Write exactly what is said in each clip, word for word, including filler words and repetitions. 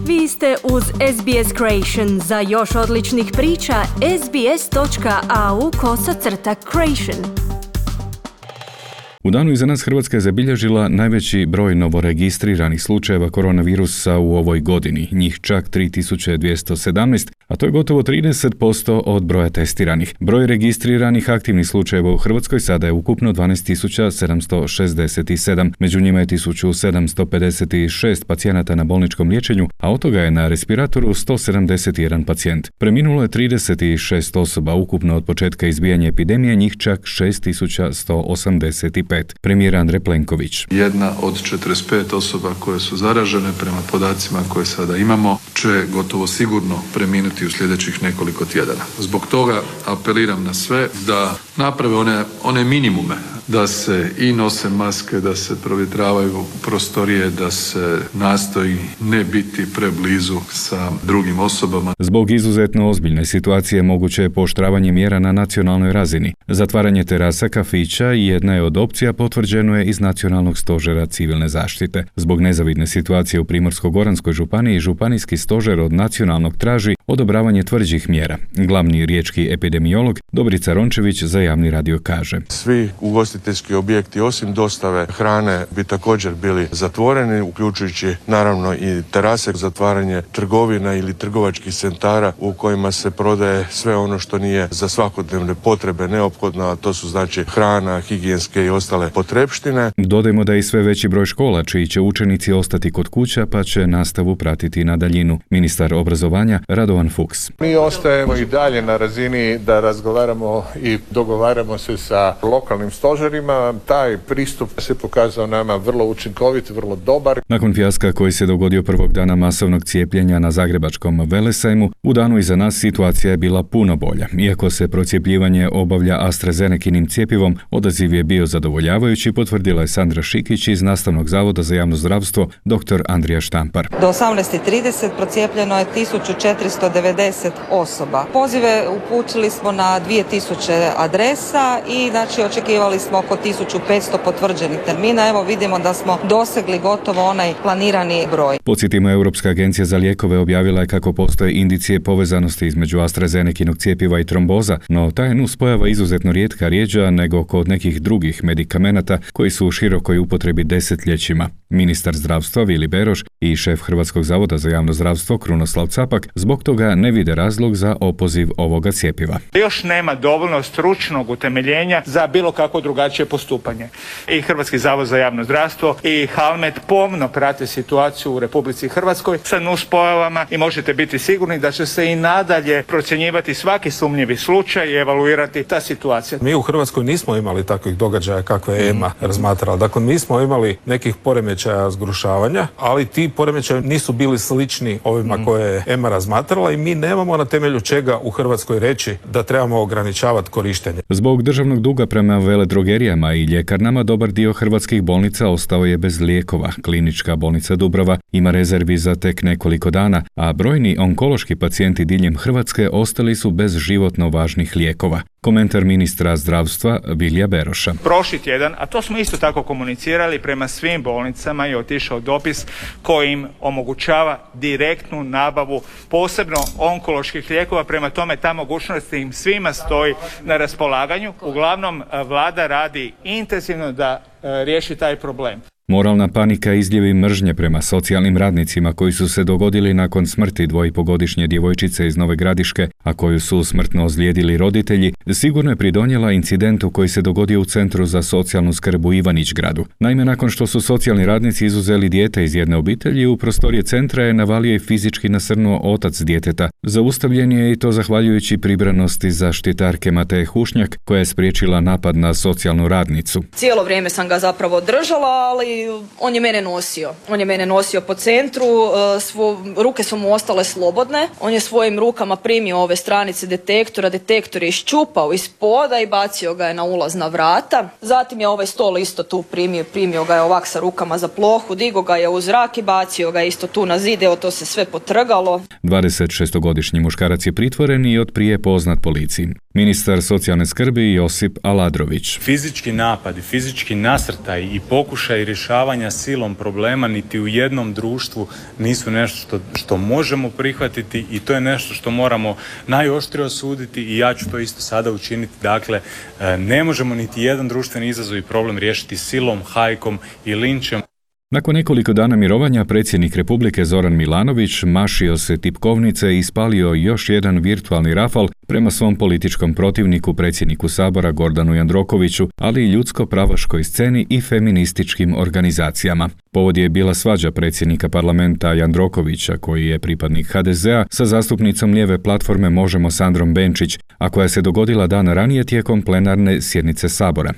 Vi ste uz S B S Creation. Za još odličnih priča, sbs.au kosacrta creation. U danu iza nas Hrvatska je zabilježila najveći broj novoregistriranih slučajeva koronavirusa u ovoj godini, njih čak tri tisuće dvjesto sedamnaest, a to je gotovo trideset posto od broja testiranih. Broj registriranih aktivnih slučajeva u Hrvatskoj sada je ukupno dvanaest tisuća sedamsto šezdeset sedam, među njima je tisuću sedamsto pedeset šest pacijenata na bolničkom liječenju, a od toga je na respiratoru sto sedamdeset jedan pacijent. Preminulo je trideset šest osoba ukupno od početka izbijanja epidemije, njih čak šest tisuća sto osamdeset pet. Premijer Andrej Plenković. Jedna od četrdeset pet osoba koje su zaražene prema podacima koje sada imamo će gotovo sigurno preminuti u sljedećih nekoliko tjedana. Zbog toga apeliram na sve da naprave one, one minimume, da se i nose maske, da se provjetravaju prostorije, da se nastoji ne biti preblizu sa drugim osobama. Zbog izuzetno ozbiljne situacije moguće je pooštravanje mjera na nacionalnoj razini. Zatvaranje terasa, kafića jedna je od opcija, potvrđeno je iz Nacionalnog stožera civilne zaštite. Zbog nezavidne situacije u Primorsko-goranskoj županiji, županijski stožer od nacionalnog traži odobravanje tvrđih mjera. Glavni riječki epidemiolog Dobrica Rončević za Javni radio kaže: Svi ugostiteljski objekti osim dostave hrane bi također bili zatvoreni, uključujući naravno i terase, zatvaranje trgovina ili trgovačkih centara u kojima se prodaje sve ono što nije za svakodnevne potrebe neophodno, a to su znači hrana, higijenske i ostale potrepštine. Dodajmo da je i sve veći broj škola čiji će učenici ostati kod kuća pa će nastavu pratiti na daljinu. Ministar obrazovanja Radovan Fuchs. Mi ostajemo i dalje na razini da razgovaramo i dogovaramo se sa lokalnim stožerima. Taj pristup se pokazao nama vrlo učinkovit, vrlo dobar. Nakon fijaska koji se dogodio prvog dana masovnog cijepljenja na zagrebačkom Velesajmu, u danu iza nas situacija je bila puno bolja. Iako se procjepljivanje obavlja AstraZenekinim cjepivom, odaziv je bio zadovoljavajući, potvrdila je Sandra Šikić iz Nastavnog zavoda za javno zdravstvo dr. Andrija Štampar. Do osamnaest trideset procijepljeno je tisuću četiristo devedeset osoba. Pozive uputili smo na dvije tisuće adresa i znači očekivali smo oko tisuću petsto potvrđenih termina. Evo vidimo da smo dosegli gotovo onaj planirani broj. Podsjetimo, Europska agencija za lijekove objavila je kako postoje indicije povezanosti između AstraZenekinog cjepiva i tromboza, no ta je nuspojava izuzetno rijetka, rjeđa nego kod nekih drugih medikamenata koji su u širokoj upotrebi desetljećima. Ministar zdravstva Vili Beroš i šef Hrvatskog zavoda za javno zdravstvo Krunoslav Capak zbog toga ne vide razlog za opoziv ovoga cjepiva. Još nema dovoljno stručnog utemeljenja za bilo kako drugačije postupanje. I Hrvatski zavod za javno zdravstvo i Halmed pomno prate situaciju u Republici Hrvatskoj sa nuspojavama i možete biti sigurni da će se i nadalje procjenjivati svaki sumnjivi slučaj i evaluirati ta situacija. Mi u Hrvatskoj nismo imali takvih događaja kakve je E M A razmatrala. Dakle, mi smo imali nekih poremećaja zgrušavanja, ali ti poremećaji nisu bili slični ovima koje je E M A razmatrala i mi nemamo na temelju čega u Hrvatskoj reći da trebamo ograničavati korištenje. Zbog državnog duga prema veledrogerijama i ljekarnama dobar dio hrvatskih bolnica ostao je bez lijekova. Klinička bolnica Dubrava ima rezervi za tek nekoliko dana, a brojni onkološki pacijenti diljem Hrvatske ostali su bez životno važnih lijekova. Komentar ministra zdravstva Vilija Beroša. Prošli tjedan, a to smo isto tako komunicirali prema svim bolnicama, je otišao dopis koji im omogućava direktnu nabavu posebno onkoloških lijekova, prema tome ta mogućnost im svima stoji na raspolaganju. Uglavnom, vlada radi intenzivno da e, riješi taj problem. Moralna panika i izljevi mržnje prema socijalnim radnicima koji su se dogodili nakon smrti dvojipogodišnje djevojčice iz Nove Gradiške, a koju su smrtno ozlijedili roditelji, sigurno je pridonijela incidentu koji se dogodio u Centru za socijalnu skrb u Ivanić-Gradu. Naime, nakon što su socijalni radnici izuzeli dijete iz jedne obitelji, u prostorije centra je navalio i fizički nasrnuo otac djeteta. Zaustavljen je i to zahvaljujući pribranosti zaštitarke Mateje Hušnjak, koja je spriječila napad na socijalnu radnicu. Cijelo vrijeme sam ga zapravo držala, ali on je mene nosio. On je mene nosio po centru, svo, ruke su mu ostale slobodne. On je svojim rukama primio ove stranice detektora, detektor je iščupao iz poda i bacio ga je na ulazna vrata. Zatim je ovaj stol isto tu primio, primio ga je ovak sa rukama za plohu, digo ga je u zrak i bacio ga isto tu na zid, evo to se sve potrgalo. dvadesetšestogodišnji muškarac je pritvoren i od prije poznat policiji. Ministar socijalne skrbi Josip Aladrović. Fizički napadi, fizički nasrtaj i pokušaj rješavanja rješavanja silom problema niti u jednom društvu nisu nešto što, što možemo prihvatiti i to je nešto što moramo najoštrije osuditi i ja ću to isto sada učiniti. Dakle, ne možemo niti jedan društveni izazov i problem riješiti silom, hajkom i linčem. Nakon nekoliko dana mirovanja, predsjednik Republike Zoran Milanović mašio se tipkovnice i ispalio još jedan virtualni rafal prema svom političkom protivniku, predsjedniku Sabora Gordanu Jandrokoviću, ali i ljudsko-pravaškoj sceni i feminističkim organizacijama. Povod je bila svađa predsjednika parlamenta Jandrokovića, koji je pripadnik ha de zea, sa zastupnicom lijeve platforme Možemo Sandrom Benčić, a koja se dogodila dan ranije tijekom plenarne sjednice Sabora.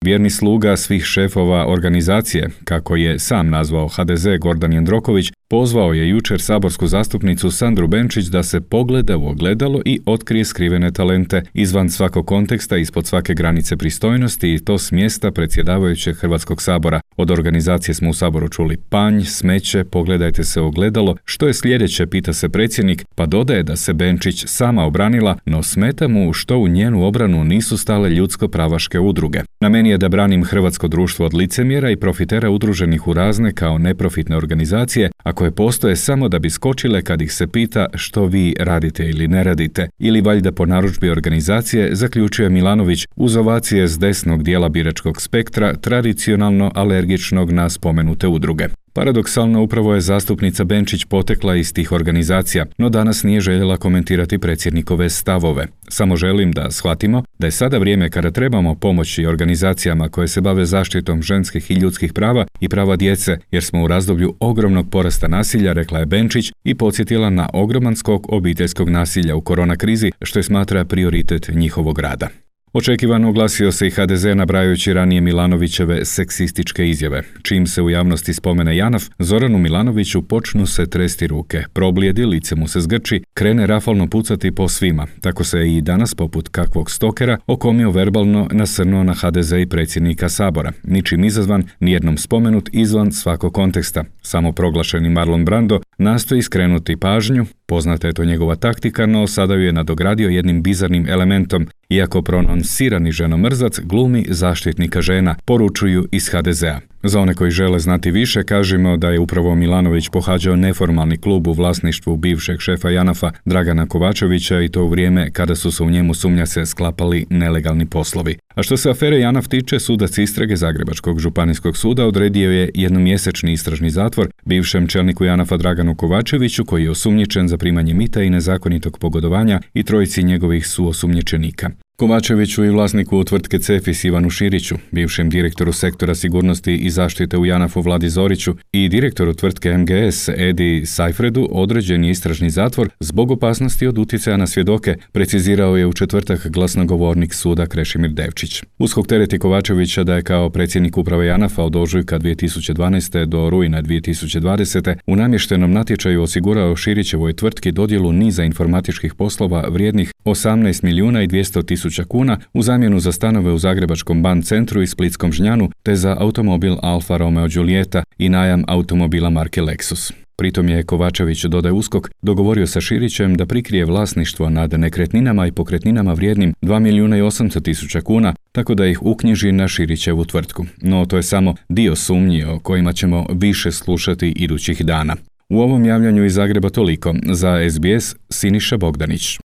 Vjerni sluga svih šefova organizacije, kako je sam nazvao ha de ze Gordan Jandroković, pozvao je jučer saborsku zastupnicu Sandru Benčić da se pogleda u ogledalo i otkrije skrivene talente izvan svakog konteksta, ispod svake granice pristojnosti i to s mjesta predsjedavajućeg Hrvatskog sabora. Od organizacije smo u Saboru čuli panj, smeće, pogledajte se u ogledalo, što je sljedeće, pita se predsjednik, pa dodaje da se Benčić sama obranila, no smeta mu što u njenu obranu nisu stale ljudsko-pravaške udruge. Na meni je da branim hrvatsko društvo od licemjera i profitera udruženih u razne kao neprofitne organizacije, a koje postoje samo da bi skočile kad ih se pita što vi radite ili ne radite, ili valjda po narudžbi organizacije, zaključuje Milanović uz ovacije s desnog dijela biračkog spektra, tradicionalno alergičnog na spomenute udruge. Paradoksalno, upravo je zastupnica Benčić potekla iz tih organizacija, no danas nije željela komentirati predsjednikove stavove. Samo želim da shvatimo da je sada vrijeme kada trebamo pomoći organizacijama koje se bave zaštitom ženskih i ljudskih prava i prava djece, jer smo u razdoblju ogromnog porasta nasilja, rekla je Benčić i podsjetila na ogroman skok obiteljskog nasilja u korona krizi, što je smatra prioritet njihovog rada. Očekivano oglasio se i ha de ze nabrajajući ranije Milanovićeve seksističke izjave. Čim se u javnosti spomene Janaf, Zoranu Milanoviću počnu se tresti ruke, problijedi, lice mu se zgrči, krene rafalno pucati po svima. Tako se i danas, poput kakvog stokera, okomio verbalno nasrnuo na ha de ze i predsjednika Sabora. Ničim izazvan, nijednom spomenut izvan svakog konteksta. Samo proglašeni Marlon Brando nastoji skrenuti pažnju, poznata je to njegova taktika, no sada ju je nadogradio jednim bizarnim elementom. Iako prononsirani ženomrzac glumi zaštitnika žena, poručuju iz ha de zea. Za one koji žele znati više, kažemo da je upravo Milanović pohađao neformalni klub u vlasništvu bivšeg šefa Janafa Dragana Kovačevića i to u vrijeme kada su se u njemu, sumnja se, sklapali nelegalni poslovi. A što se afere Janaf tiče, sudac istrage Zagrebačkog županijskog suda odredio je jednomjesečni istražni zatvor bivšem čelniku Janafa Draganu Kovačeviću, koji je osumnjičen za primanje mita i nezakonitog pogodovanja, i trojici njegovih suosumnjičenika. Kovačeviću i vlasniku tvrtke Cefis Ivanu Širiću, bivšem direktoru sektora sigurnosti i zaštite u Janafu Vladi Zoriću i direktoru tvrtke em ge es Edi Sajfredu određen je istražni zatvor zbog opasnosti od utjecaja na svjedoke, precizirao je u četvrtak glasnogovornik suda Krešimir Devčić. USKOK tereti Kovačevića da je kao predsjednik uprave Janafa od ožujka dvije tisuće dvanaeste do rujna dvije tisuće dvadesete u namještenom natječaju osigurao Širićevoj tvrtki dodjelu niza informatičkih poslova vrijednih osamnaest milijuna i dvjesto tisuća kuna u zamjenu za stanove u Zagrebačkom Ban centru i Splitskom Žnjanu, te za automobil Alfa Romeo Giulietta i najam automobila marke Lexus. Pritom je Kovačević, dodaje USKOK, dogovorio sa Širićem da prikrije vlasništvo nad nekretninama i pokretninama vrijednim dva milijuna i osamsto tisuća kuna, tako da ih uknjiži na Širićevu tvrtku. No to je samo dio sumnji o kojima ćemo više slušati idućih dana. U ovom javljanju iz Zagreba toliko. Za es be es, Siniša Bogdanić.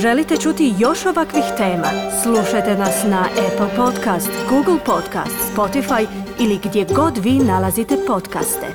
Želite čuti još ovakvih tema? Slušajte nas na Apple Podcast, Google Podcast, Spotify ili gdje god vi nalazite podcaste.